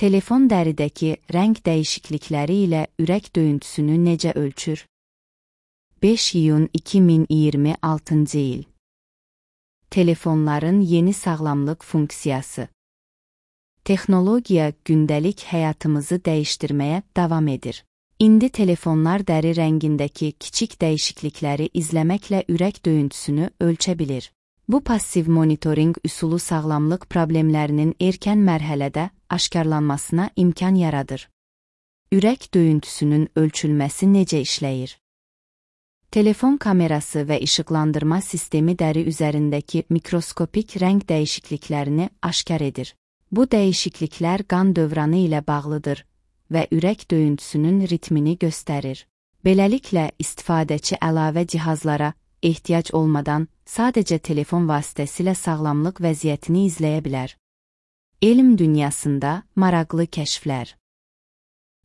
Telefon dəridəki rəng dəyişiklikləri ilə ürək döyüntüsünü necə ölçür? 5 iyun 2026-cı il. Telefonların yeni sağlamlıq funksiyası. Texnologiya gündəlik həyatımızı dəyişdirməyə davam edir. İndi telefonlar dəri rəngindəki kiçik dəyişiklikləri izləməklə ürək döyüntüsünü ölçə bilir. Bu passiv monitorinq üsulu sağlamlıq problemlərinin erkən mərhələdə aşkarlanmasına imkan yaradır. Ürək döyüntüsünün ölçülməsi necə işləyir? Telefon kamerası və işıqlandırma sistemi dəri üzərindəki mikroskopik rəng dəyişikliklərini aşkar edir. Bu dəyişikliklər qan dövranı ilə bağlıdır və ürək döyüntüsünün ritmini göstərir. Beləliklə, istifadəçi əlavə cihazlara ehtiyac olmadan sadəcə telefon vasitəsilə sağlamlıq vəziyyətini izləyə bilər. Elm dünyasında maraqlı kəşflər.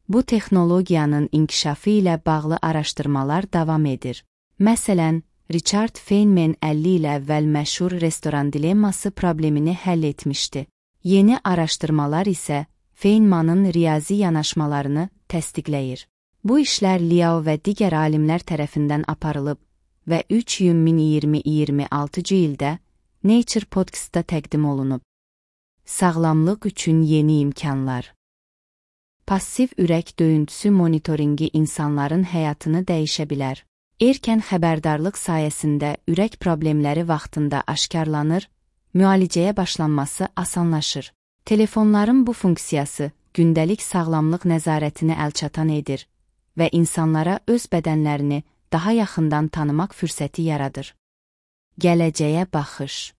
Bu texnologiyanın inkişafı ilə bağlı araşdırmalar davam edir. Məsələn, Richard Feynman 50 il əvvəl məşhur restoran dilemması problemini həll etmişdi. Yeni araşdırmalar isə Feynmanın riyazi yanaşmalarını təsdiqləyir. Bu işlər Liao və digər alimlər tərəfindən aparılıb və 3 iyun 2026-cı ildə Nature Podcast'da təqdim olunub. Sağlamlıq üçün yeni imkanlar. Passiv ürək döyüntüsü monitoringi insanların həyatını dəyişə bilər. Erkən xəbərdarlıq sayəsində ürək problemləri vaxtında aşkarlanır, müalicəyə başlanması asanlaşır. Telefonların bu funksiyası gündəlik sağlamlıq nəzarətini əlçatan edir və insanlara öz bədənlərini daha yaxından tanımaq fürsəti yaradır. Gələcəyə baxış.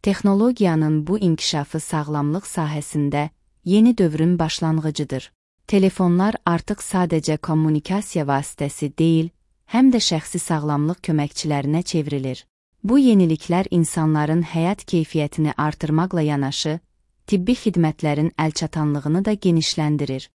Texnologiyanın bu inkişafı sağlamlıq sahəsində yeni dövrün başlanğıcıdır. Telefonlar artıq sadəcə kommunikasiya vasitəsi deyil, həm də şəxsi sağlamlıq köməkçilərinə çevrilir. Bu yeniliklər insanların həyat keyfiyyətini artırmaqla yanaşı, tibbi xidmətlərin əlçatanlığını da genişləndirir.